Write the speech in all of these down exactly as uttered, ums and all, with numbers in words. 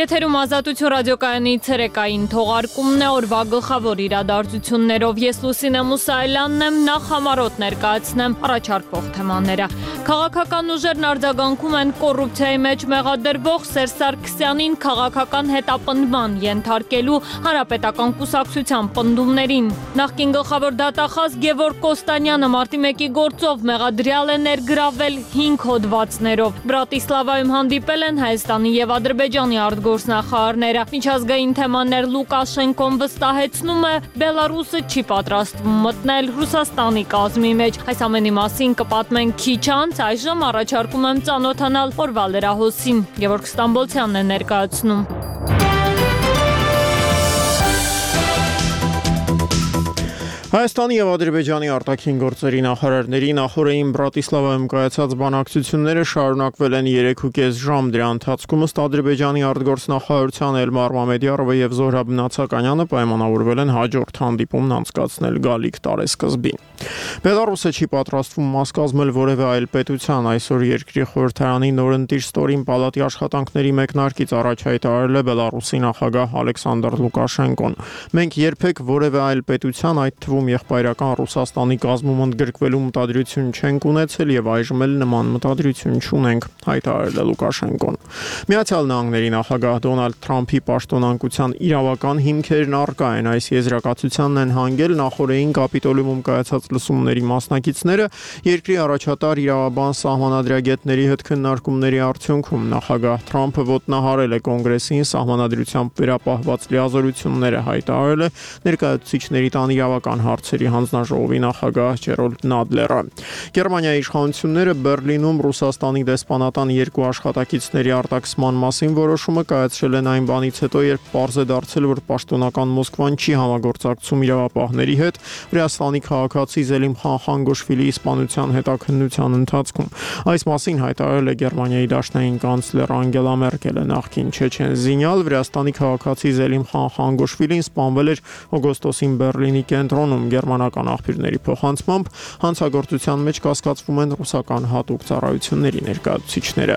Եթերում Ազատություն ռադիոկայանի ցերեկային թողարկումն է, օրվա գլխավոր իրադարձություններով ես Լուսինե Մուսայելյանն եմ, նախ համառոտ ներկայացնեմ առաջարկվող թեմաները։ Քաղաքական ուժերն արձագանքում են կոռուպցիայի մեջ մեղադրվող Սերժ Սարգսյանին քաղաքական հետապնդման ենթարկելու հանրապետական կուսակցության պնդումներին։ Նախկին գլխավոր դատախազ Գևորգ Կոստանյանը մարտի մեկի գործով մեղադրյալ է ներգրավել հինգ հոդվածներով։ Բրատիսլավայում հանդիպել են Հայաստանի եւ Ադրբեջանի արտգործնախարարները։ Միջազգային թեմաներ Լուկաշենկոն վստահեցնում է, Բելարուսը չի պատրաստվում մտնել Ռուսաստանի կազմի մեջ։ Այս ամենի մասին կպատմենք քիչ անց, այժմ առաջարկում եմ ծանոթանալ օրվա լրահոսին։ Գևորգ Ստամբոլցյանն է ներկայացնում։ Հայաստանի եւ Ադրբեջանի արտաքին գործերի նախարարների նախորդին Բրատիսլավայում կայացած բանակցությունները շարունակվել են երեքուկես ժամ։ Դրա ընթացքում ըստ Ադրբեջանի արտգործնախարարության Էլմար Մամեդյարովը եւ Զոհրաբ Նացականյանը պայմանավորվել են հաջորդ հանդիպումն անցկացնել գալիք տարեսկզբին։ Բելարուսը չի պատրաստվում մաս կազմել որևէ այլ պետության։ Այսօր երկրի խորհրդարանի նորընտիր ստորին պալատի աշխատանքների մեկնարկից առաջ հայտարարել է Բելարուսի նախագահ Ալեքսանդր Լուկաշենկոն։ Մենք երբեք որևէ այլ պետության, այդ թվում եղբայրական Ռուսաստանի կազմում ընդգրկվելու մտադրություն չենք ունեցել եւ այժմ էլ նման մտադրություն չունենք, հայտարարել է Լուկաշենկոն։ Միացյալ Նահանգների նախագահ Դոնալդ Թրամփի պաշտոնանկության իրավական հիմքերն առկա են։ Այս եզրակացությանն են հանգել նախորդին Կապիտոլիումում կայացած լսումների մասնակիցները երկրի առաջատար իրավաբան սահմանադրագետների հետ քննարկումների արդյունքում նախագահ Թրամփը ոտնահարել է կոնգրեսին սահմանադրությամբ վերապահված լիազորությունները, հայտարարել է ներկայացուցիչների տան իրավական հարցերի հանձնաժողովի նախագահ Ջերոլդ Նադլերը։ Գերմանիայի իշխանությունները Բերլինում Ռուսաստանի դեսպանատան երկու աշխատակիցների արտաքսման մասին որոշումը կայացրել են այն բանից հետո, երբ պարզ է դարձել, որ պաշտոնական Մոսկվան չի համագործակցում իրավապահների հետ Վրաստանի քաղաքացի Զելիմ Խանխանգոշվիլիի սպանության հետաքննության ընթացքում։ Այս մասին հայտարարել է Գերմանիայի դաշնային կանցլեր Անգելա Մերկելը։ Նախկին չեչեն զինյալ Վրաստանի քաղաքացի Զելիմ Խանխանգոշվիլին սպանվել էր օգոստոսին Բերլինի կենտրոնում։ Գերմանական աղբյուրների փոխանցմամբ հանցագործության մեջ կասկածվում են ռուսական հատուկ ծառայությունների ներկայացուցիչները։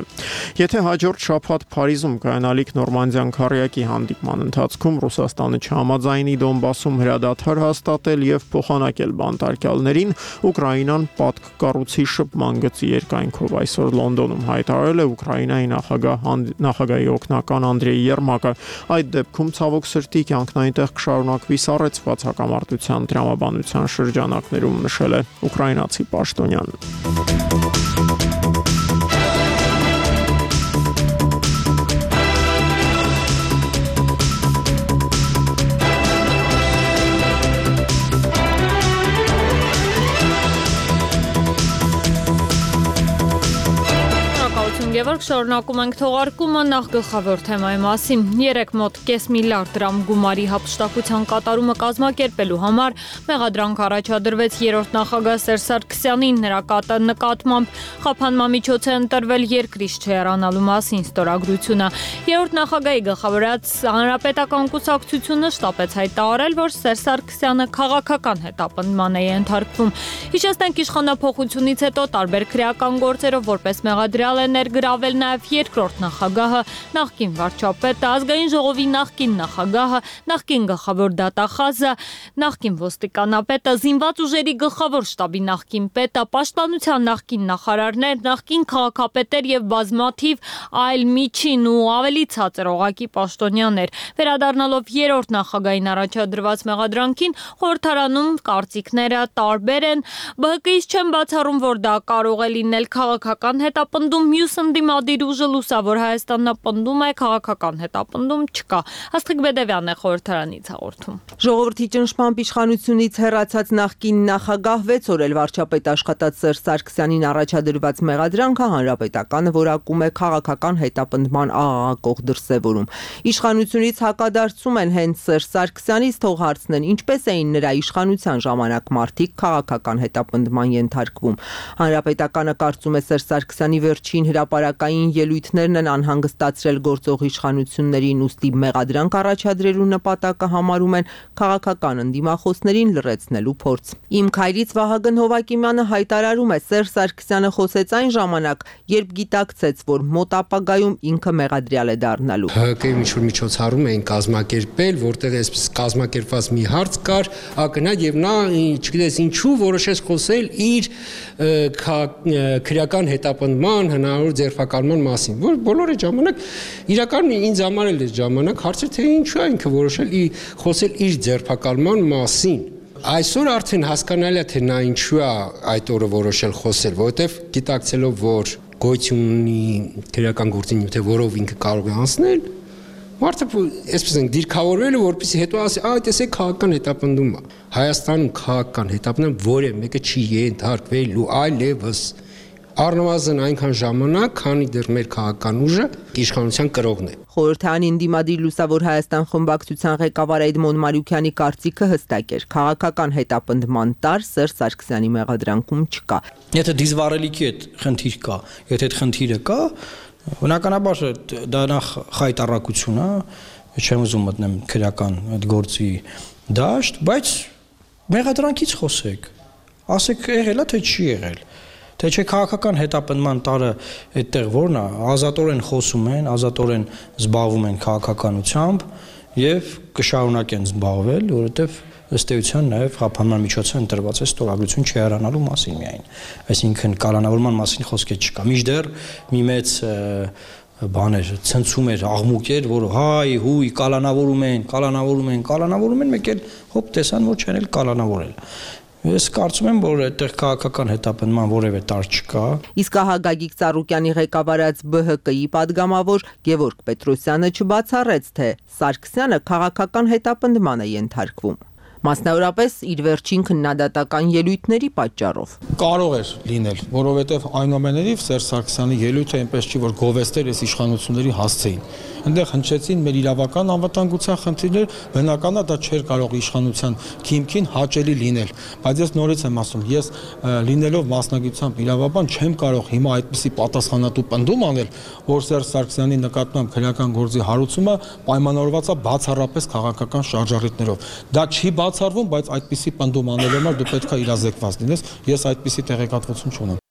Եթե հաջորդ շաբաթ Փարիզում կայանալիք Նորմանդիան քառյակի հանդիպման ընթացքում Ռուսաստանը չհամաձայնի Դոնբասում հրադադար հաստատել եւ փոխանակել բանտարկյալներին, Ուկրաինան պատկ կառուցի շփման գծի երկայնքով այսօր Լոնդոնում հայտարարել է Ուկրաինայի նախագահ նախագահի օգնական Անդրեյ Երմակը։ Այդ դեպքում ցավոք սրտի կյանքն այնտեղ կշարունակվի սառեցված հակամարտության տրամաբանության շրջանակներում, նշել է ուկրաինացի պաշտոնյան։ Գևորգ, շարունակում ենք թողարկումը նախ գլխավոր թեմայի մասին։ Երեք մոտ կես միլիարդ դրամ գումարի հափշտակության կատարումը կազմակերպելու համար մեղադրանք առաջադրվեց երրորդ նախագահ Սերժ Սարգսյանին։ Նրա նկատմամբ խափանման միջոց է ընտրվել երկրից չհեռանալու մասին ստորագրությունը։ Երրորդ նախագահի գլխավորած հանրապետական կուսակցությունը շտապեց հայտարարել, որ Սերժ Սարգսյանը քաղաքական հետապնդման է ենթարկվում։ Հիշեցնենք, իշխանափոխությունից հետո տարբեր քրեական գործերով որպես մեղադրյալ է ներգրավել նաև երկրորդ նախագահը, նախկին վարչապետը, ազգային ժողովի նախկին նախագահը, նախկին գլխավոր դատախազը, նախկին ոստիկանապետը, զինված ուժերի գլխավոր շտաբի նախկին պետը, պաշտպանության նախկին նախարարներ, նախկին քաղաքապետեր եւ բազմաթիվ այլ միջին ու ավելի ցածր օղակի պաշտոնյաներ։ Վերադառնալով երրորդ նախագահին առաջադրված մեղադրանքին, խորհրդարանում կարծիքները տարբեր են։ Բ Հ Կ-ից չեն բացառում, որ դա կարող է լինել քաղաքական հետապնդում, մյուս ընդդիմադիր ուժը Լուսավոր Հայաստանն պնդում է քաղաքական հետապնդում չկա։ Աստղիկ Բեդևյանն է խորհրդարանից հաղորդում։ Ժողովրդի ճնշմամբ իշխանությունից հեռացած նախկին նախագահ վեց օր էլ վարչապետ աշխատած Սերժ Սարգսյանին առաջադրված մեղադրանքը հանրապետականը որակում է քաղաքական հետապնդման աղաղակող դրսևորում։ Իշխանությունից հակադարձում են հենց Սերժ Սարգսյանից, թող հարցնեն ինչպես էին նրա իշխանության ժամանակ մարդիկ քաղաքական հետապնդման ենթարկվում։ Հանրապետականը կարծում է Սերժ Սարգսյանի վերջին հրապարակ հրապարակային ելույթներն են անհանգստացրել գործող իշխանություններին, ուստի մեղադրանք առաջադրելու նպատակը համարում են քաղաքական ընդդիմախոսներին լռեցնելու փորձ։ Իմ քայլից Վահագն Հովակիմյանը հայտարարում է, Սերժ Սարգսյանը խոսեց այն ժամանակ, երբ գիտակցեց, որ մոտ ապագայում ինքը մեղադրյալ է դառնալու։ ՀԿ-ի ինչ-որ միջոցառում էին կազմակերպել, որտեղ այսպես կազմակերպված մի հարց կար, ակնհայտ եւ նա, չգիտես ինչու, որոշեց խոսել իր քրեական հետապնդման հնարավոր ձերբակալման մասին, որ բոլորը ժամանակ իրականում ինձ համար էլ է ժամանակ հարցը թե ինչու է ինքը որոշել խոսել իր ձերբակալման մասին։ Այսօր արդեն հասկանալի է թե նա ինչու է այդ օրը որոշել խոսել, որովհետեւ գիտակցելով, որ գոյություն ունի քրեական գործի նյութը, որով ինքը կարող է անցնել, մարդը այսպես են դիրքավորվել, որպեսզի հետո ասի, այ տեսեք քաղաքական հետապնդում է։ Հայաստանում քաղաքական հետապնդում որևէ մեկը չի ենթարկվելու այլևս առնվազն այնքան ժամանակ, քանի դեռ մեր քաղաքական ուժը իշխանության կրողն է։ Խորհրդային դիմադիր Լուսավոր Հայաստան խմբակցության ղեկավար Էդմոն Մարուկյանի կարծիքը հստակ էր. քաղաքական հետապնդման տար Սերժ Սարգսյանի մեղադրանքում չկա։ Եթե դիզվառելիքի այդ խնդիր կա, եթե այդ խնդիրը կա, բնականաբար դա նախ խայտառակություն է, չեմ ուզում մտնեմ քրեական այդ գործի դաշտ, բայց մեղադրանքից խոսեք, ասեք եղել է թե չի եղել, թե չէ քաղաքական հետապնդման տարը այդտեղ որն է, ազատորեն խոսում են, ազատորեն զբաղվում են քաղաքականությամբ եւ կշարունակեն զբաղվել, որովհետեւ ըստ էության նաև խափանման միջոցը ընտրված է ստորագրություն չհեռանալու մասին միայն, այսինքն կալանավորման մասին խոսք չկա։ Մինչդեռ մի մեծ բաներ ցնցում էր, աղմուկ էր, որ հայ, հույ, կալանավորում են, կալանավորում են, կալանավորում են, մեկ էլ հոп տեսան, որ չեն էլ կալանավորել։ Ես կարծում եմ, որ այդտեղ քաղաքական հետապնդման որևէ տար չկա։ Իսկ ահա Գագիկ Ծառուկյանի ղեկավարած Բ Հ Կ-ի падգամավոր Գևորգ Պետրոսյանը չբացառեց, թե Սարգսյանը քաղաքական հետապնդման է ենթարկվում։ Մասնավորապես իր վերջին քննադատական ելույթների պատճառով։ Կարող էր լինել, որովհետև այնուամենայնիվ Սերժ Սարգսյանի ելույթը այնպես չի, որ գովեստեր այս իշխանությունների հասցեին։ Այնտեղ հնչեցին մեր իրավական անվտանգության խնդիրներ, բնական է դա չէր կարող իշխանության քիմքին հաճելի լինել, բայց ես նորից եմ ասում, ես լինելով մասնագիտությամբ իրավաբան չեմ կարող հիմա այդպիսի պատասխանատու պնդում անել, որ Սերժ Սարգսյանի նկատմամբ քրեական գործի հարուցումը պայմանավորված է բացառապես քաղաքական շարժառիթներով։ Դա չի բացառվում, բայց այդպիսի պնդում անելու համար դու պետք է իրազեկված լինես, ես այդպիսի տեղեկատվություն չունեմ։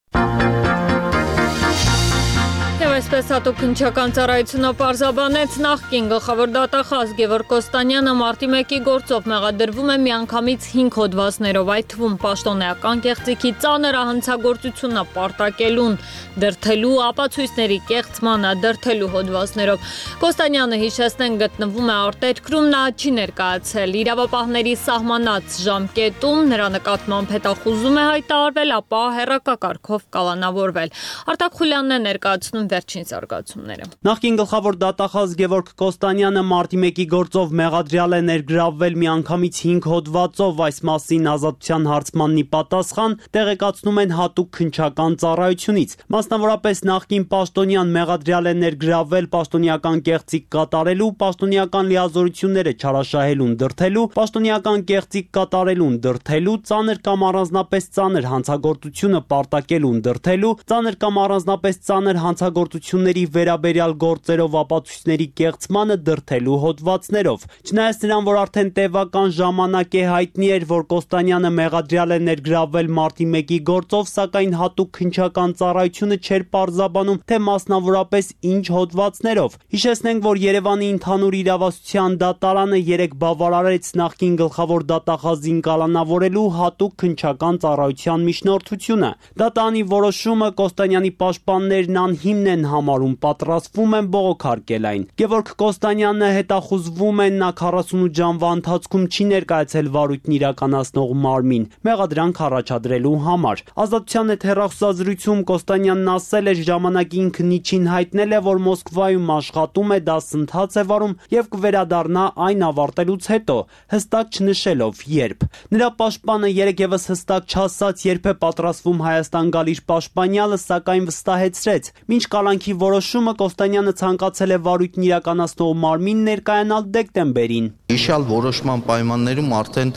Այսպես հատուկ քննչական ծառայությունը պարզաբանեց նախկին գլխավոր դատախազ Գևորգ Կոստանյանը մարտի մեկի գործով մեղադրվում է միանգամից հինգ հոդվածներով, այդ թվում պաշտոնեական կեղծիքի ծանր հանցագործությունը պարտակելուն, դրդելու, ապացույցների կեղծմանը, դրդելու հոդվածներով։ Կոստանյանը, հիշեցնենք, գտնվում է արտերկրում, նա չի ներկայացել իրավապահների սահմանած ժամկետում, նրա նկատմամբ հետախուզում է հայտարարվել, ապա հեռակակարգով կալանավորվել։ Արտակ Խուլյանն է ներկայացնում վերջին զարգացումները։ Նախկին գլխավոր դատախազ Գևորգ Կոստանյանը մարտի մեկի գործով մեղադրյալ է ներգրավվել միանգամից հինգ հոդվածով, այս մասին ազատության հարցմանն ի պատասխան տեղեկացնում են հատուկ քննչական ծառայությունից։ Մասնավորապես նախկին պաշտոնյան մեղադրյալ է ներգրավվել պաշտոնեական կեղծիք կատարելու, պաշտոնեական լիազորությունները չարաշահելուն դրդելու, պաշտոնեական կեղծիք կատարելուն դրդելու, ծանր կամ առանձնապես ծանր հանցագործությունը պարտակելուն դրդելու, ծանր կամ առանձնապես ծանր հանցագործությունների վերաբերյալ գործերով ապացույցների կեղծմանը դրդելու հոդվածներով։ Չնայած նրան, որ արդեն տևական ժամանակ է հայտնի էր, որ Կոստանյանը մեղադրյալ է ներգրավվել մարտի մեկի գործով, սակայն հատուկ քննչական ծառայությունը չէր պարզաբանում, թե մասնավորապես ինչ հոդվածներով։ Հիշեցնենք, որ Երևանի ընդհանուր իրավասության դատարանը երեկ բավարարեց նախկին գլխավոր դատախազին կալանավորելու հատուկ քննչական ծառայության միջնորդությունը։ Դատարանի որոշումը Կոստանյանի պաշտպաններն անհիմն են համարում, պատրաստվում են բողոքարկել այն։ Գևորգ Կոստանյանը հետախուզվում է, նա քառասունութ ժամվա ընթացքում չի ներկայացել վարույթն իրականացնող մարմին, մեղադրանք առաջադրելու համար։ Ազատության հետ հեռախոսազրույցում Կոստանյանն ասել էր, ժամանակի ինքն իջին հայտնել է, որ Մոսկվայում աշխատում է, դասընթաց է վարում եւ կվերադառնա այն ավարտելուց հետո, հստակ չնշելով երբ։ Նրա պաշտպանը երեկ եւս հստակ չասաց, երբ է պատրաստվում Հայաստան գալ իր պաշտպանյալը, սակայն վստահեցրեց, մինչ կալանքի որոշումը Կոստանյանը ցանկացել է վարույթն իրականացնող մարմին ներկայանալ դեկտեմբերին։ Իշալ որոշման պայմաններում արդեն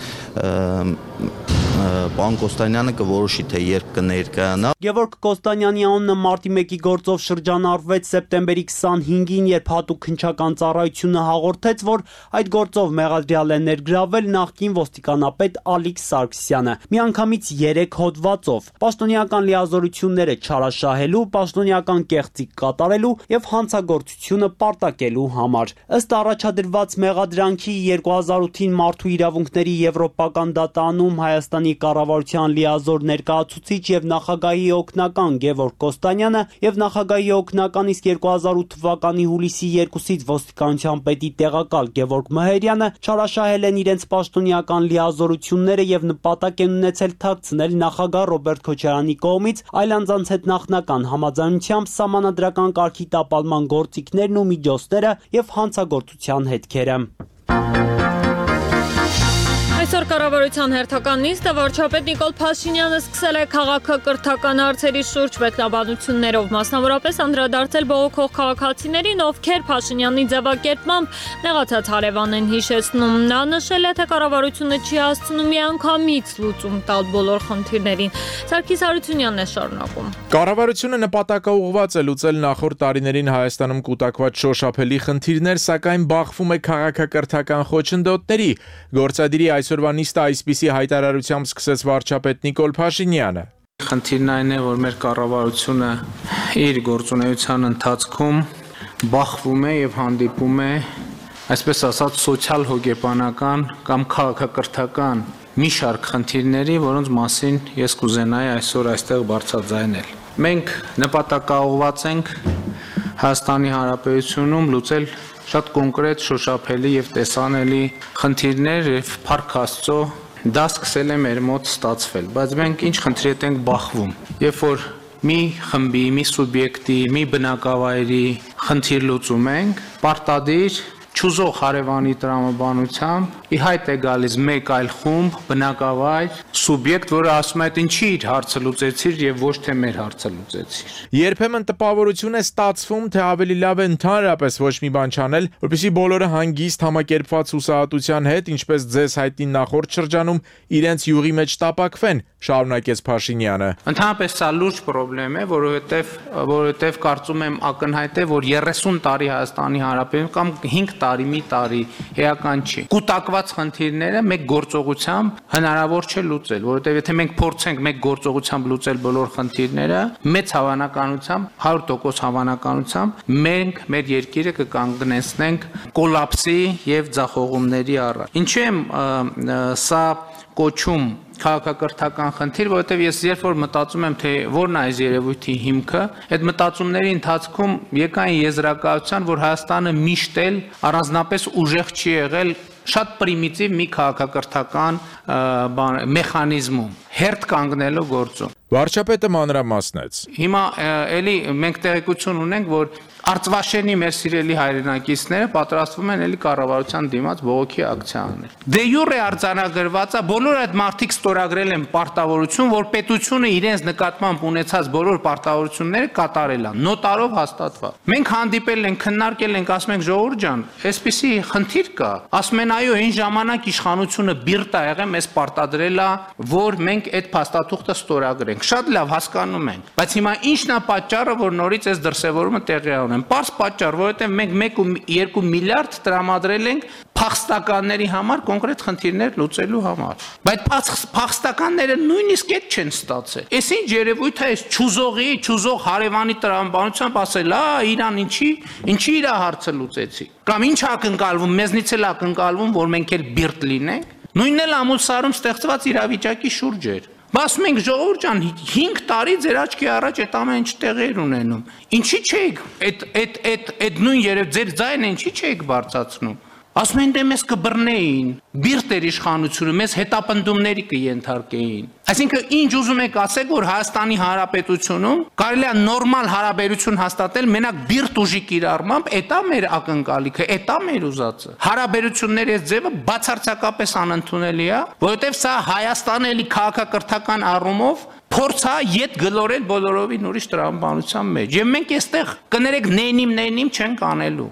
պարոն Կոստանյանը կորոշի թե երբ կներկայանա։ Գևորգ Կոստանյանի անունը մարտի մեկի գործով շրջանառվեց սեպտեմբերի քսանհինգին, երբ հատուկ քննչական ծառայությունը հաղորդեց, որ այդ գործով մեղադրյալ է ներգրավել նախկին ոստիկանապետ Ալիք Սարգսյանը, միանգամից երեք հոդվածով՝ պաշտոնեական լիազորությունները չարաշահելու, պաշտոնեական կեղծիք կատարելու եւ հանցագործությունը պարտակելու համար։ Ըստ առաջադրված մեղադրանքի երկու հազար ութին Մարդու իրավունքների եվրոպական դատարանում Հայաստանի կառավարության լիազոր ներկայացուցիչ եւ նախագահի օգնական Գևորգ Կոստանյանը եւ նախագահի օգնական իսկ երկու հազար ութ թվականի հուլիսի երկուսից ոստիկանության պետի տեղակալ Գևորգ Մհերյանը չարաշահել են իրենց պաշտոնեական լիազորությունները եւ նպատակ են ունեցել թաքցնել նախագահ Ռոբերտ Քոչարյանի կողմից այլ անձանց հետ նախնական համաձայնությամբ սահմանադրական կարգի տապալման գործիքներն ու միջոցները եւ հանցագործության հետքերը։ Այսօր կառավարության հերթական նիստը վարչապետ Նիկոլ Փաշինյանը սկսել է քաղաքակրթական հարցերի շուրջ մեկնաբանություններով, մասնավորապես անդրադարձել բողոքող քաղաքացիներին, ովքեր Փաշինյանի ձևակերպմամբ նեղացած հարևան են հիշեցնում։ Նա նշել է, թե կառավարությունը չի հասցնում միանգամից լուծում տալ բոլոր խնդիրներին։ Սարգիս Հարությունյանն է շարունակում։ Կառավարությունը նպատակաուղղված է լուծել նախորդ տարիներին Հայաստանում կուտակված շոշափելի խնդիրներ, սակայն բախվում է քաղաքակրթական խոչընդոտների։ Գործադիրի այսօրվա նիստը այսպիսի հայտարարությամբ սկսեց վարչապետ Նիկոլ Փաշինյանը։ Խնդիրն այն է, որ մեր կառավարությունը իր գործունեության ընթացքում բախվում է եւ հանդիպում է, այսպես ասած, սոցիալ հոգեբանական կամ քաղաքակրթական մի շարք խնդիրների, որոնց մասին ես կուզենայի այսօր այստեղ բարձրաձայնել։ Մենք նպատակաուղղված ենք Հայաստանի Հանրապետությունում լուծել շատ կոնկրետ, շոշափելի եւ տեսանելի խնդիրներ եւ Փառք Աստծո դա սկսել է մեր մոտ ստացվել, բայց մենք ինչ խնդրի ենք բախվում։ Երբ որ մի խմբի, մի սուբյեկտի, մի բնակավայրի խնդիր լուծում ենք, պարտադիր չուզող հարևանի տրամաբանությամբ ի հայտ է գալիս մեկ այլ խումբ, բնակավայր, սուբյեկտ, որը ասում է, ինչի իր հարցը լուծեցիր եւ ոչ թե մեր հարցը լուծեցիր։ Երբեմն տպավորություն է ստացվում, թե ավելի լավ է ընդհանրապես ոչ մի բան չանել, որպեսզի բոլորը հանգիստ համակերպված հուսահատության հետ, ինչպես ձեզ հայտնի նախորդ շրջանում, իրենց յուղի մեջ տապակվեն, շարունակեց Փաշինյանը։ Ընդհանրապես սա լուրջ խնդրեմ է, որովհետեւ որովհետեւ կարծում եմ ակնհայտ է, որ երեսուն տարի Հայաստանի Հանրապետություն կամ հինգ տարի, մի տարի էական չի։ Կուտակված խնդիրները մեկ գործողությամբ հնարավոր չէ լուծել, որովհետեւ եթե մենք փորձենք մեկ գործողությամբ լուծել բոլոր խնդիրները, մեծ հավանականությամբ, հարյուր տոկոս հավանականությամբ մենք մեր երկիրը կկանգնեցնենք կոլապսի եւ ձախողումների առաջ։ Ինչու եմ սա կոչում քաղաքակրթական խնդիր, որովհետև ես երբ որ մտածում եմ, թե որն է այս երևույթի հիմքը, այդ մտածումների ընթացքում եկա այն եզրակացության, որ Հայաստանը միշտ էլ առանձնապես ուժեղ չի եղել շատ պրիմիտիվ մի քաղաքակրթական մեխանիզմում, հերթ կանգնելու գործում։ Վարչապետը մանրամասնեց։ Հիմա էլի մենք տեղեկություն ունենք, որ Արցվաշենի մեր սիրելի հայրենակիցները պատրաստվում են էլի կառավարության դիմաց բողոքի ակցիա անել։ Դե յուրե արձանագրված է, բոլոր այդ մարդիկ ստորագրել են պարտավորություն, որ պետությունը իրենց նկատմամբ ունեցած բոլոր պարտավորությունները կատարել է, նոտարով հաստատված։ Մենք հանդիպել ենք, քննարկել ենք, ասում ենք ժողովուրդ ջան, այսպիսի խնդիր կա։ Ասում են այո, այն ժամանակ իշխանությունը բիրտ ա եղել, մեզ պարտադրել է, որ մենք այդ փաստաթուղթը ստորագրենք։ Շատ լավ հասկանում ենք, բայց հիմա ի՞նչն է պատճառը, որ նորից այս դրսևորումը տեղի ունեն։ Պարզ պատճառ, որովհետև մենք մեկ ու երկու միլիարդ տրամադրել ենք փախստականների համար կոնկրետ խնդիրներ լուծելու համար։ Բայց փախստականները նույնիսկ այդ չեն ստացել։ Էս ինչ երևույթ է, այս չուզողի, չուզող հարևանի տրամաբանությամբ ասել, «Ա, Իրան ինչի, ինչի իր հարցը լուծեցի»։ Կամ ինչ ակնկալվում, մեզնից էլ ակնկալվում, որ մենք էլ բիրտ լինենք։ Նույնն էլ ամուսարում ստեղծված իրավիճակի շուրջ էր։ Ասում ենք ժողովուրդ ջան, հինգ տարի ձեր աչքի առաջ այդ ամեն ինչ տեղեր ունենում։ Ինչի՞ չեք այդ այդ այդ այդ նույն երև ձեր ձայնը ինչի՞ չեք բարձրացնում։ Ասում են դե մեզ կբռնեին, բիրտ էր իշխանությունը, մեզ հետապնդումների կենթարկեին։ Այսինքն ինչ ուզում եք ասեք, որ Հայաստանի Հանրապետությունում կարելի է նորմալ հարաբերություն հաստատել մենակ բիրտ ուժի կիրառմամբ, էտա մեր ակնկալիքը, էտա մեր ուզածը։ Հարաբերությունների այս ձևը բացարձակապես անընդունելի է, որովհետև սա Հայաստանը էլի քաղաքակրթական առումով փորձ է յետ գլորել բոլորովին ուրիշ տրամաբանության մեջ։ Եվ մենք այստեղ կներեք նենիմ նենիմ չենք անելու։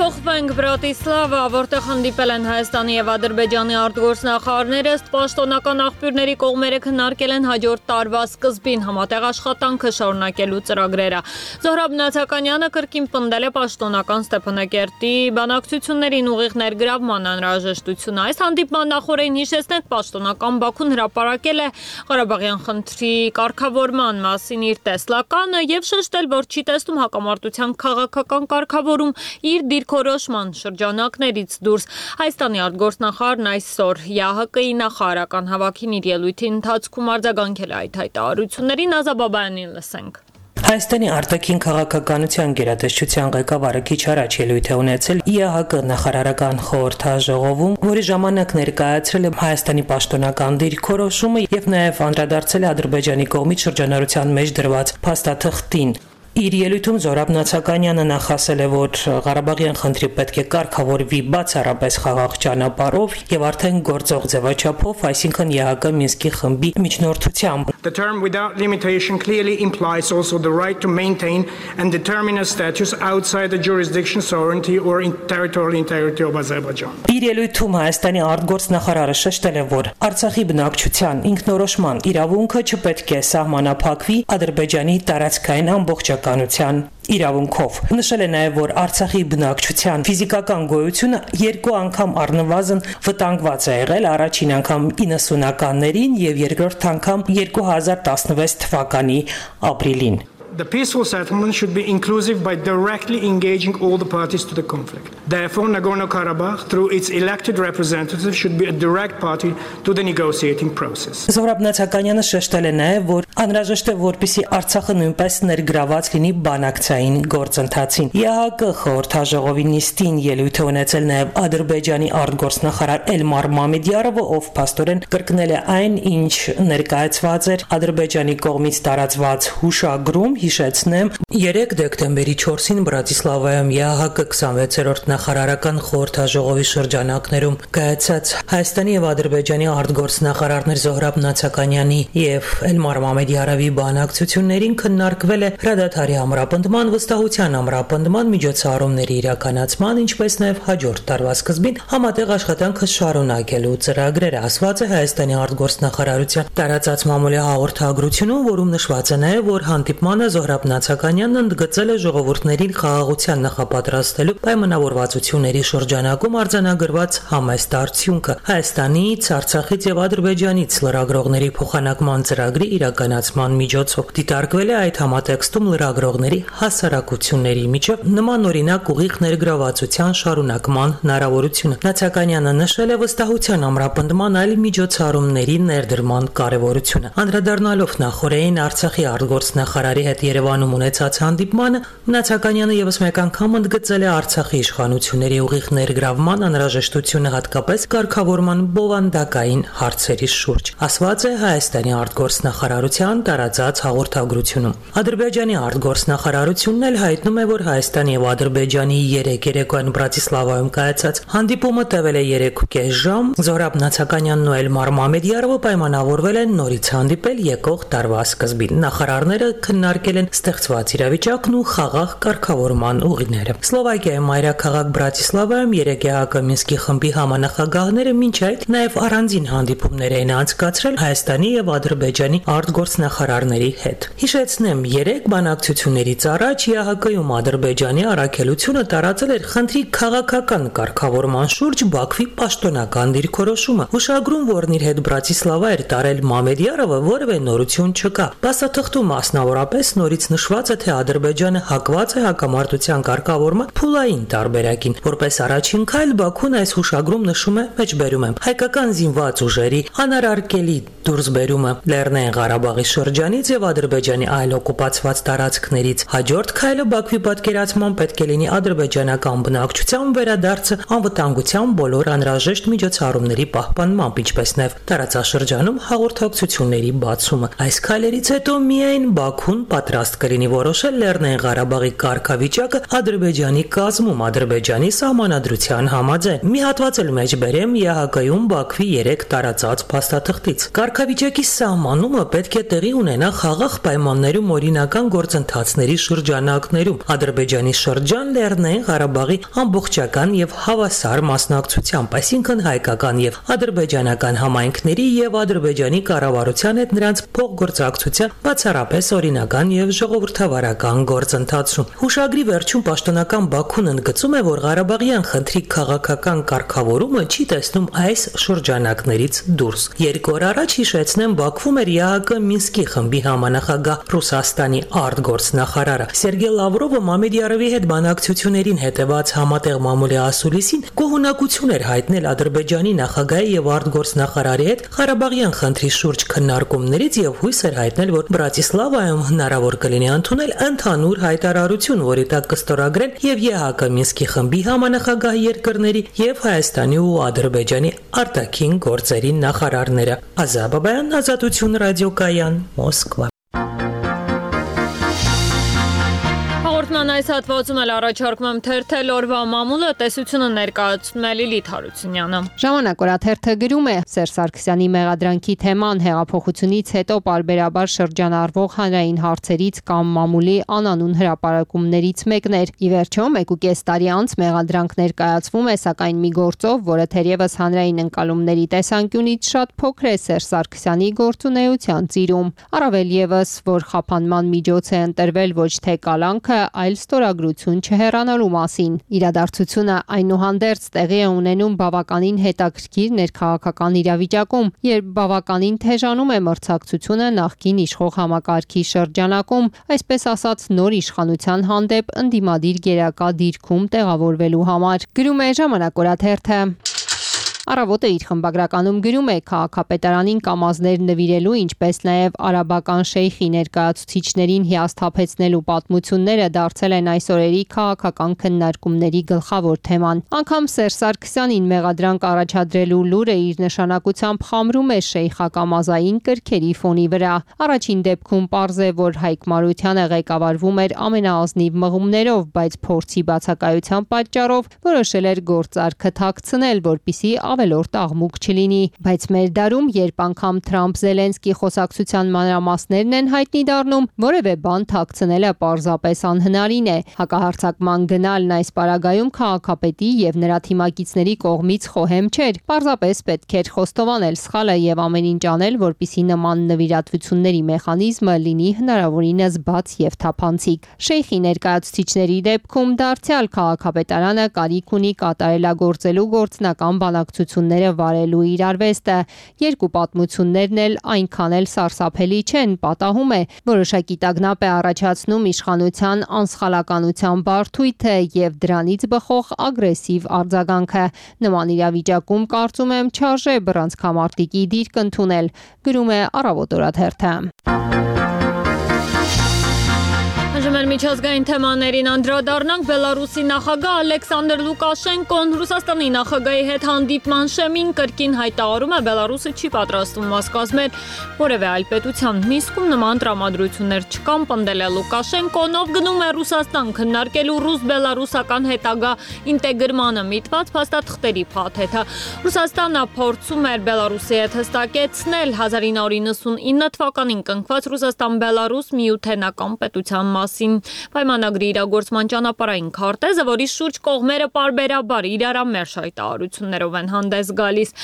Փոխվեց Կապենք Բրատիսլավա, որտեղ հանդիպել են Հայաստանի եւ Ադրբեջանի արտգործնախարարները, ըստ պաշտոնական աղբյուրների կողմերը քննարկել են հաջորդ տարվա սկզբին համատեղ աշխատանքը շարունակելու ծրագրերը։ Զոհրաբ Նացականյանը կրկին պնդել է պաշտոնական Ստեփանակերտի բանակցություններին ուղիղ ներգրավման անհրաժեշտությունը։ Այս հանդիպման նախորդին հիշեցնենք, պաշտոնական Բաքուն հրապարակել է Ղարաբաղյան խնդրի կարգավորման մասին իր տեսլականը եւ շեշտել, որ չի տեսնում հակամարտության քաղաքական կարգավորում իր դիրքորոշման շրջանակներից դուրս։ Հայաստանի արտգործնախարարն այսօր ԵԱՀԿ-ի նախարարական հավաքին իր ելույթի ընթացքում արձագանքել է այդ հայտարարություններին։ Ազաբաբայանին լսենք։ Հայաստանի արտաքին քաղաքականության գերատեսչության ղեկավարը քիչ առաջ ելույթ է ունեցել ԵԱՀԿ նախարարական խորհրդաժողովում, որի ժամանակ ներկայացրել է Հայաստանի պաշտոնական դիրքորոշումը եւ նաեւ անդրադարձել է Ադրբեջանի կողմից շրջանառության մեջ դրված փաստաթղթին։ Իր ելույթում Զոհրաբ Նացականյանը նախասել է, որ Ղարաբաղյան խնդրի պետք է կարգավորվի բացառապես խաղաղ ճանապարհով եւ արդեն գործող ձևաչափով, այսինքն ԵԱՀԿ Մինսկի խմբի միջնորդությամբ։ The term without limitation clearly implies also the right to maintain and determine a status outside the jurisdiction, sovereignty or in territorial integrity of Azerbaijan. Իր ելույթում Հայաստանի արտգործնախարարը շեշտել է, որ Արցախի բնակչության ինքնորոշման իրավունքը չպետք է սահմանափակվի Ադրբեջանի տարածքային ամբողջականության իրավունքով։ Նշել է նաև, որ Արցախի բնակչության ֆիզիկական գոյությունը երկու անգամ առնվազն վտանգված է եղել, առաջին անգամ իննսունականներին եւ երկրորդ անգամ երկու հազար տասնվեց թվականի ապրիլին։ The peaceful settlement should be inclusive by directly engaging all the parties to the conflict. Therefore, Nagorno-Karabakh, through its elected representatives, should be a direct party to the negotiating process. Զոհրաբ Նացականյանը շեշտել է նաև, որ անհրաժեշտ է, որպեսզի Արցախը նույնպես ներգրաված լինի բանակցային գործընթացին։ ԵԱՀԿ խորհրդաժողովի նիստին ելույթ է ունեցել նաև Ադրբեջանի արտգործնախարար Էլմար Մամեդյարովը, ով փաստորեն կրկնել է այն, ինչ ներկայացված էր Ադրբեջանի կողմից տարածված հուշագրում։ Հիշեցնեմ, երեք դեկտեմբերի չորսին Բրատիսլավայում ԵԱՀԿ քսանվեցերորդ նախարարական խորհրդաժողովի շրջանակներում կայացած Հայաստանի եւ Ադրբեջանի արտգործնախարարներ Զոհրաբ Նացականյանի եւ Էլմար Մամեդյարովի բանակցություններին քննարկվել է հրադադարի ամրապնդման, վստահության ամրապնդման, միջոցառումների իրականացման, ինչպես նաեւ հաջորդ տարվա սկզբին համատեղ աշխատանքը շարունակելու ծրագրերը, ասված է Հայաստանի արտգործնախարարության տարածած մամուլի հաղորդագրությունում, որում նշված է նաեւ, որ հանդիպմանը Զոհրաբ Նացականյանն ընդգծել է ժողովուրդներին խաղաղության նախապատրաստելու պայմանավորվածությունների շրջանակում արձանագրված համեստ արդյունքը Հայաստանից, Արցախից եւ Ադրբեջանից լրագրողների փոխանակման ծրագրի իրականացման միջոցով։ Դիտարկվել է այդ համատեքստում լրագրողների հասարակությունների միջև նմանօրինակ ուղիղ ներգրավվածության շարունակման հնարավորությունը։ Նացականյանը նշել է վստահության ամրապնդման այլ միջոցառումների ներդրման կարևորությունը։ Անդրադառնալով նախորդին Արցախի արտգործնախարարի հետ Երևանում ունեցած հանդիպմանը, Նացականյանը եւս մեկ անգամ ընդգծել է Արցախի իշխանությունների ուղիղ ներգրավման անհրաժեշտությունը հատկապես կարգավորման բովանդակային հարցերի շուրջ, ասված է Հայաստանի արտգործնախարարության տարածած հաղորդագրությունում։ Ադրբեջանի արտգործնախարարությունն էլ հայտնում է, որ Հայաստանի եւ Ադրբեջանի երեք երեկոյան Բրատիսլավայում կայացած հանդիպումը տևել է երեքուկես ժամ։ Զոհրաբ Նացականյանն ու Էլմար Մամեդյարովը պայմանավորվել են նորից հանդիպել եկող տարվա սկզբին։ Նախարարները քննարկել են ստեղծված իրավիճակն ու խաղաղ կարգավորման ուղիները։ Սլովակիայի մայրաքաղաք Բրատիսլավայում երեք ԵԱՀԿ Մինսկի խմբի համանախագահները մինչ այդ նաև առանձին հանդիպումներ էին անցկացրել Հայաստանի եւ Ադրբեջանի արտգործնախարարների հետ։ Հիշեցնեմ, երեք բանակցություններից առաջ ԵԱՀԿ-ում Ադրբեջանի առաքելությունը տարածել էր խնդրի քաղաքական կարգավորման շուրջ Բաքվի պաշտոնական դիրքորոշումը։ Հուշագրում, որն իր հետ Բրատիսլավա էր տարել Մամեդյարովը, որևէ նորություն չկա։ Փաստաթղթում մասնավորապես նորից նշված է, թե Ադրբեջանը հակված է հակամարտության կարգավորման փուլային տարբերակին։ Որպես առաջին քայլ Բաքուն այս հուշագրում նշում է, մեջբերում է, հայկական զինված ուժերի անարարկելի դուրսբերումը Լեռնային Ղարաբաղի շրջանից եւ Ադրբեջանի այլ օկուպացված տարածքներից։ Հաջորդ քայլը Բաքվի պատկերացման պետք է լինի ադրբեջանական բնակչության վերադարձը անվտանգության բոլոր անհրաժեշտ միջոցառումների պահպանմամբ, ինչպես նաեւ տարածաշրջանում հաղորդակցությունների բացումը։ Այս քայլերից հետո միայն Բաքուն պատրաստ կլինի որոշել Լեռնային Ղարաբաղի կարգավիճակը Ադրբեջանի կազմում Ադրբեջանի սահմանադրության համաձայն։ Մի հատված էլ մեջ բերեմ Է Հ Կ-ում Բաքվի երեք տարածած փաստաթղթից։ Կարգավիճակի սահմանումը պետք է տեղի ունենա խաղաղ պայմաններում օրինական գործընթացների շրջանակներում Ադրբեջանի շրջան Լեռնային Ղարաբաղի ամբողջական եւ հավասար մասնակցությամբ, այսինքն հայկական եւ ադրբեջանական համայնքների եւ Ադրբեջանի կառավարության հետ նրանց փոխգործակցության բացառապես օրինական եւ ժողովրդավարական գործընթացում։ Հուշագրի վերջում պաշտոնական Բաքուն ընդգծում է, որ Ղարաբաղյան խնդրի քաղաքական կարգավորումը չի տեսնում այս շրջանակներից դուրս։ Երկու օր առաջ հիշեցնեմ Բաքվում էր Է Հ Կ Մինսկի խմբի համանախագահ Ռուսաստանի արտգործնախարարը Սերգեյ Լավրովը Մամեդյարովի հետ բանակցություններին հետևած համատեղ մամուլի ասուլիսին գոհունակություն էր հայտնել Ադրբեջանի նախագահի եւ արտգործնախարարի հետ Ղարաբաղյան խնդրի շուրջ քննարկումներից եւ հույս էր հայտնել, որ Բրատիսլավայում հնարավոր կլինի ընդունել ընդհանուր հայտարարություն, որի տակ կստորագրեն եւ Է Հ Կ Մինսկի խմբի համանախագահ երկրների եւ Հայաստանի ու Ադրբեջանի արտաքին գործերի նախարարները։ Ազաբաբայան, Ազատություն ռադիոկայան, Մոսկվա։ Հաղորդման այս հատվածում էլ առաջարկում եմ թերթել օրվա մամուլը, տեսությունը ներկայացնում է Լիլիթ Հարությունյանը։ Ժամանակ օրաթերթը գրում է. Սերժ Սարգսյանի մեղադրանքի թեման հեղափոխությունից հետո պարբերաբար շրջանառվող հանրային հարցերից կամ մամուլի անանուն հրապարակումներից մեկն էր։ Ի վերջո, մեկ ու կես տարի անց մեղադրանք ներկայացվում է, սակայն մի գործով, որը թերևս հանրային ընկալումների տեսանկյունից շատ փոքր է Սերժ Սարգսյանի գործունեության ծիրում։ Առավել եւս, որ խափանման միջոց է ընտրվել ոչ թե կալանքը, այլ ստորագրություն չհեռանալու մասին։ Իրադարձությունը այնուհանդերձ տեղի է ունենում բավականին հետաքրքիր ներքաղաքական իրավիճակում, երբ բավականին թեժանում է մրցակցությունը նախկին իշխող համակարգի շրջանակում, այսպես ասած նոր իշխանության հանդեպ ընդդիմադիր գերակա դիրքում տեղավորվելու համար։ Գրում է Ժամանակ օրաթերթը։ Առավոտը իր խմբագրականում գրում է քաղաքապետարանին կամազներ նվիրելու, ինչպես նաև արաբական շեյխի ներկայացուցիչներին հիասթափեցնելու պատմությունները դարձել են այս օրերի քաղաքական քննարկումների գլխավոր թեման։ Անգամ Սերժ Սարգսյանին մեղադրանք առաջադրելու լուրը իր նշանակությամբ խամրում է շեյխակամազային կրքերի ֆոնի վրա։ Առաջին դեպքում պարզ է, որ Հայկ Մարությանը ղեկավարվում էր ամենաազնիվ մղումներով, բայց փորձի բացակայության պատճառով որոշել էր գործարքը թաքցնել, որպեսզի ավելորդ աղմուկ չլինի, բայց մեր դարում, երբ անգամ Թրամփ-Զելենսկի խոսակցության մանրամասներն են հայտնի դառնում, որևէ բան թաքցնելը պարզապես անհնարին է։ Հակահարձակման գնալն այս պարագայում քաղաքապետի եւ նրա թիմակիցների կողմից խոհեմ չէր։ Պարզապես պետք էր խոստովանել սխալը եւ ամեն ինչ անել, որպեսզի նման նվիրատվությունների մեխանիզմը լինի հնարավորինս բաց եւ թափանցիկ։ Շեյխի ներկայացուցիչների դեպքում դարձյալ քաղաքապետարանը կարիք ունի կատարելագործելու գործնական բանակցությունները վարելու իր արվեստը։ Երկու պատմություններն էլ այնքան էլ սարսափելի չեն, պատահում է, որոշակի տագնապ է առաջացնում իշխանության անսխալականության բարդույթը եւ դրանից բխող ագրեսիվ արձագանքը։ Նման իրավիճակում կարծում եմ չարժե բռնցքամարտիկի դիրք ընդունել, գրում է Առավոտ օրաթերթը։ Այժմ միջազգային թեմաներին անդրադառնանք։ Բելարուսի նախագահ Ալեքսանդր Լուկաշենկոն Ռուսաստանի նախագահի հետ հանդիպման շեմին կրկին հայտարարում է, Բելարուսը չի պատրաստվում մաս կազմել որևէ այլ պետության։ Մինսկում նման տրամադրություններ չկան, պնդել է Լուկաշենկոն, ով գնում է Ռուսաստան քննարկելու ռուս-բելարուսական հետագա ինտեգրմանը միտված փաստաթղթերի փաթեթը։ Ռուսաստանը փորձում էր Բելարուսի հետ հստակեցնել հազար ինը հարյուր նվաթ թվականին կնքված Ռուսաստան-Բելարուս միութենական պետության մասին պայմանագրի իրագործման ճանապարհային քարտեզը, որի շուրջ կողմերը պարբերաբար իրարամերժ հայտարարություններով են հանդես գալիս։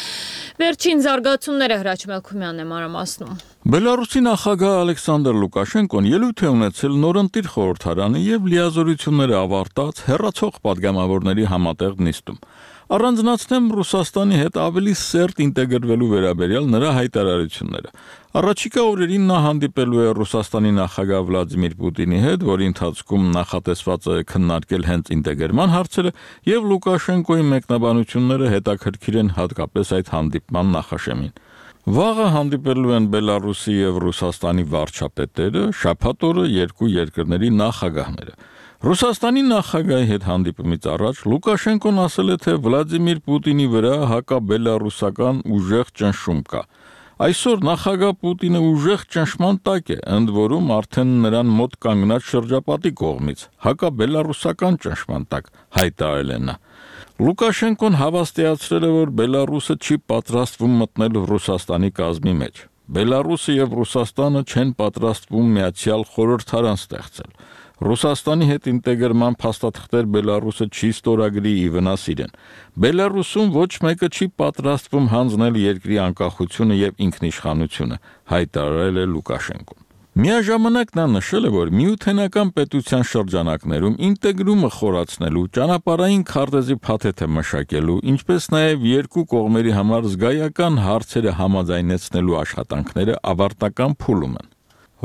Վերջին զարգացումները Հրաչ Մելքումյանն է մանրամասնում։ Բելարուսի նախագահ Ալեքսանդր Լուկաշենկոն ելույթ է ունեցել նորընտիր խորհրդարանի եւ լիազորությունները ավարտած հերացող падգամավորների համատեղ նիստում։ Առանձնացնեմ Ռուսաստանի հետ ավելի սերտ ինտեգրվելու վերաբերյալ նրա հայտարարությունները։ Առաջիկա օրերին նա հանդիպելու է Ռուսաստանի նախագահ Վլադիմիր Պուտինի հետ, որի ընթացքում նախատեսված է քննարկել հենց ինտեգրման հարցերը, եւ Լուկաշենկոյի մեկնաբանությունները հետաքրքիր են հատկապես այդ հանդիպման նախաշեմին։ Վաղը հանդիպելու են Բելարուսի եւ Ռուսաստանի վարչապետերը, շաբաթ օրը երկու երկրների նախագահները։ Ռուսաստանի նախագահի հետ հանդիպումից առաջ Լուկաշենկոն ասել է, թե Վլադիմիր Պուտինի վրա հակաբելարուսական ուժեղ ճնշում կա։ Այսօր նախագահ Պուտինը ուժեղ ճնշման տակ է, ընդ որում արդեն նրան մոտ կանգնած շրջապատի կողմից, հակաբելառուսական ճնշման տակ, հայտարարել է նա։ Լուկաշենկոն հավաստիացրել է, որ Բելարուսը չի պատրաստվում մտնել Ռուսաստանի կազմի մեջ։ Բելարուսը եւ Ռուսաստանը չեն պատրաստվում միացյալ խորհրդարան ստեղծել։ Ռուսաստանի հետ ինտեգրման փաստաթղթեր Բելարուսը չի ստորագրի ի վնաս իրեն։ Բելարուսում ոչ մեկը չի պատրաստվում հանձնել երկրի անկախությունը եւ ինքնիշխանությունը, հայտարարել է Լուկաշենկոն։ Միաժամանակ նա նշել է, որ միութենական պետության շրջանակներում ինտեգրումը խորացնելու, ճանապարհային քարտեզի փաթեթը մշակելու, ինչպես նաև երկու կողմերի համար զգայական հարցերը համաձայնեցնելու աշխատանքները ավարտական փուլում են։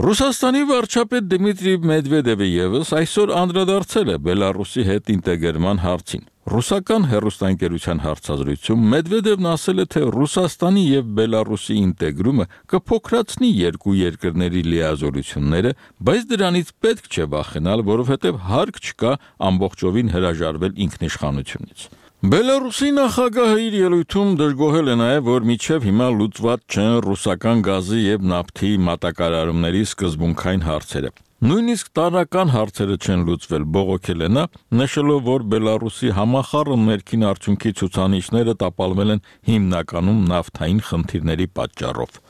Ռուսաստանի վարչապետ Դմիտրի Մեդվեդևը ևս այսօր անդրադարձել է Բելարուսի հետ ինտեգրման հարցին։ Ռուսական հեռուստաընկերության հարցազրույցում Մեդվեդևն ասել է, թե Ռուսաստանի եւ Բելարուսի ինտեգրումը կփոքրացնի երկու երկրների լիազորությունները, բայց դրանից պետք չէ վախենալ, որովհետեւ հարկ չկա ամբողջովին հրաժարվել ինքնիշխանությունից։ Բելարուսի նախագահը իր ելույթում դժգոհել է նաև, որ մինչև հիմա լուծված չեն ռուսական գազի եւ նավթի մատակարարումների սկզբունքային հարցերը։ Նույնիսկ տարրական հարցերը չեն լուծվել, բողոքել է նա, նշելով, որ Բելարուսի համախառն ներքին արդյունքի ցուցանիշները տապալվել են հիմնականում նավթային խնդիրների պատճառով։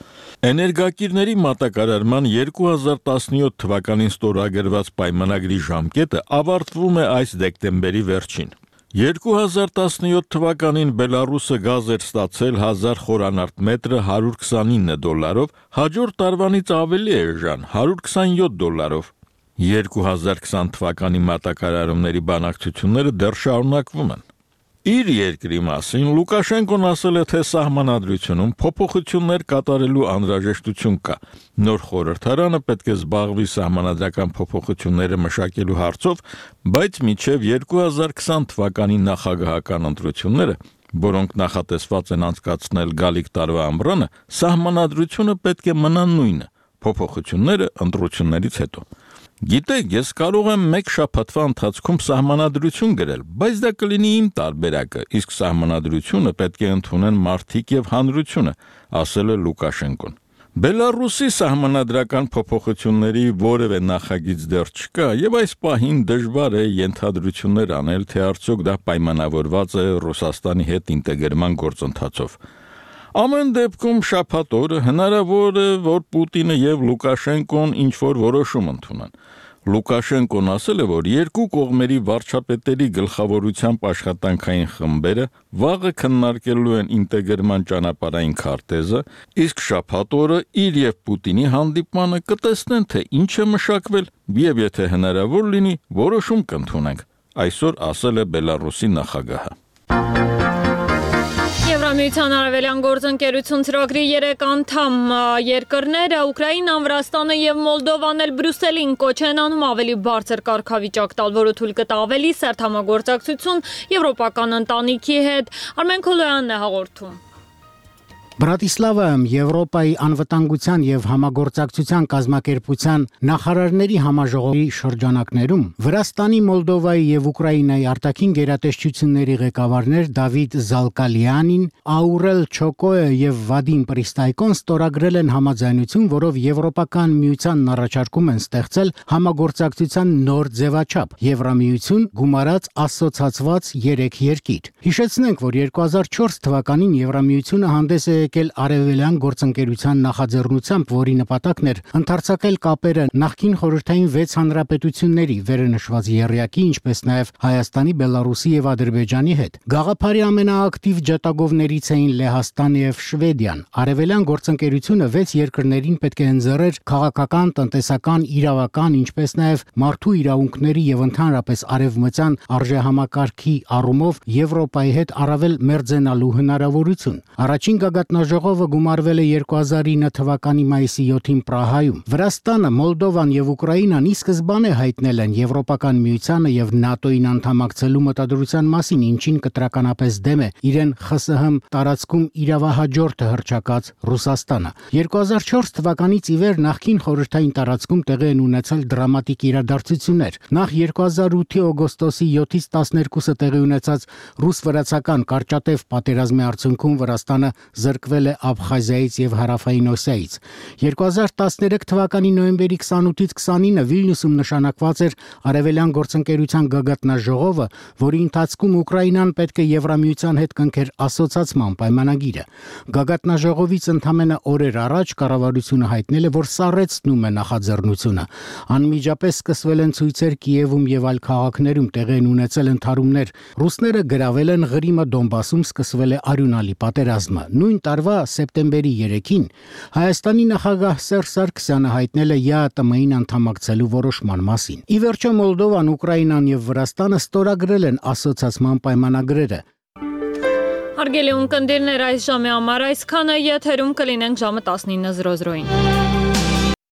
Էներգակիրների մատակարարման երկու հազար տասնյոթ թվականին ստորագրված պայմանագրի ժամկետը ավարտվում է այս դեկտեմբերի վերջին։ երկու հազար տասնյոթ թվականին Բելարուսը գազ էր ստացել հազար խորանարդ մետրը հարյուր քսանինը դոլարով, հաջորդ տարվանից ավելի է ժան հարյուր քսանյոթ դոլարով։ երկու հազար քսան թվականի մատակարարումների բանակցությունները դեռ շարունակվում են։ Իր երկրի մասին Լուկաշենկոն ասել է, թե սահմանադրությունում փոփոխություններ կատարելու անհրաժեշտություն կա։ Նոր խորհրդարանը պետք է զբաղվի սահմանադրական փոփոխությունները մշակելու հարցով, բայց մինչև երկու հազար քսան թվականի նախագահական ընտրությունները, որոնք նախատեսված են անցկացնել գալիք տարվա ամռանը, սահմանադրությունը պետք է մնա նույնը, փոփոխությունները ընտրություններից հետո։ Գիտեք, ես կարող եմ մեկ շաբաթվա ընթացքում սահմանադրություն գրել, բայց դա կլինի իմ տարբերակը, իսկ սահմանադրությունը պետք է ընդունեն մարդիկ եւ հանրությունը, ասել է Լուկաշենկոն։ Բելարուսի սահմանադրական փոփոխությունների որևէ նախագիծ դեռ չկա, եւ այս պահին դժվար է ենթադրություններ անել, թե արդյոք դա պայմանավորված է Ռուսաստանի հետ ինտեգրման գործընթացով։ Ամեն դեպքում շաբաթ օրը հնարավոր է, որ Պուտինը եւ Լուկաշենկոն ինչ-որ որոշում ընդունեն։ Լուկաշենկոն ասել է, որ երկու կողմերի վարչապետերի գլխավորությամբ աշխատանքային խմբերը վաղը քննարկելու են ինտեգրման ճանապարհային քարտեզը, իսկ շաբաթ օրը իր եւ Պուտինի հանդիպմանը կտեսնեն, թե ինչ է մշակվել եւ եթե հնարավոր լինի, որոշում կընդունենք, այսօր ասել է Բելարուսի նախագահը։ Եվրամիության արևելյան գործընկերություն ծրագրի երեք անդամ երկրները Ուկրաինան, Վրաստանը եւ Մոլդովան էլ Բրյուսելին կոչ են անում ավելի բարձր կարգավիճակ տալ, որը թույլ կտա ավելի սերտ համագործակցություն եվրոպական ընտանիքի հետ։ Արմեն Քոլոյանն է հաղորդում։ Բրատիսլավայում Եվրոպայի անվտանգության եւ համագործակցության կազմակերպության նախարարների համաժողովի շրջանակներում Վրաստանի, Մոլդովայի եւ Ուկրաինայի արտաքին գերատեսչությունների ղեկավարներ Դավիթ Զալկալյանին, Աուրել Չոկոյը եւ Վադիմ Պրիստայկոն ստորագրել են համաձայնություն, որով Եվրոպական միությանն առաջարկում են ստեղծել համագործակցության նոր ձևաչափ՝ Եվրամիություն գումարած ասոցացված երեք երկիր։ Հիշեցնենք, որ երկու հազար չորս թվականին Եվրամիությունը հանդես է եկել արևելյան գործընկերության նախաձեռնությամբ, որի նպատակն էր ընդարձակել կապերը նախկին խորհրդային վեց հանրապետությունների վերնշված եռյակի, ինչպես նաև Հայաստանի, Բելարուսի եւ Ադրբեջանի հետ։ Գաղափարի ամենաակտիվ ջատագովներից էին Լեհաստանը եւ Շվեդիան։ Արևելյան գործընկերությունը վեց երկրներին պետք է ընձեռեր քաղաքական, տնտեսական, իրավական, ինչպես նաև մարդու իրավունքների եւ ընդհանրապես արևմտյան արժեհամակարգի առումով Եվրոպայի հետ առավել մերձենալու հնարավորություն։ Առաջին գագաթնաժողովը գումարվել է երկու հազար ինը թվականի մայիսի յոթին Պրահայում։ Վրաստանը, Մոլդովան եւ Ուկրաինան ի սկզբանե հայտնել են Եվրոպական միությանը եւ ՆԱՏՕ-ին անդամակցելու մտադրության մասին, ինչին կտրականապես դեմ է իրեն ԽՍՀՄ տարածքում իրավահաջորդը հռչակած Ռուսաստանը։ երկու հազար չորս թվականից ի վեր նախկին խորհրդային տարածքում տեղի են ունեցել դրամատիկ իրադարձություններ։ Նախ երկու հազար ութի օգոստոսի յոթից տասներկուսը տեղի ունեցած ռուս-վրացական կարճատև պատերազմի արդյունքում Վրաստանը զրկ զրկվել է Աբխազիայից եւ Հարավային Օսիայից։ երկու հազար տասներեք թվականի նոյեմբերի քսանութից քսանինը Վիլնյուսում նշանակված էր Արևելյան գործընկերության գագաթնաժողովը, որի ընթացքում Ուկրաինան պետք է Եվրամիության հետ կնքեր ասոցացման պայմանագիրը։ Գագաթնաժողովից ընդամենը օրեր առաջ կառավարությունը հայտնել է, որ սառեցնում է նախաձեռնությունը։ Անմիջապես սկսվել են ցույցեր Կիևում եւ այլ քաղաքներում, տեղի են ունեցել ընդհարումներ։ Ռուսները գրավել են Ղրիմը, Դոնբասում սկսվել է արյունալի պատերազմը։ Նույն տարվա սեպտեմբերի երեքին Հայաստանի նախագահ Սերժ Սարգսյանը հայտնել է ԵԱՏՄ-ին անդամակցելու որոշման մասին։ Ի վերջո Մոլդովան, Ուկրաինան եւ Վրաստանը ստորագրել են ասոցիացման պայմանագրերը։ Հարգելի ունկնդիրներ, այս ժամի համար այսքանը, եթերում կլինենք ժամը տասնինը զրո զրոին։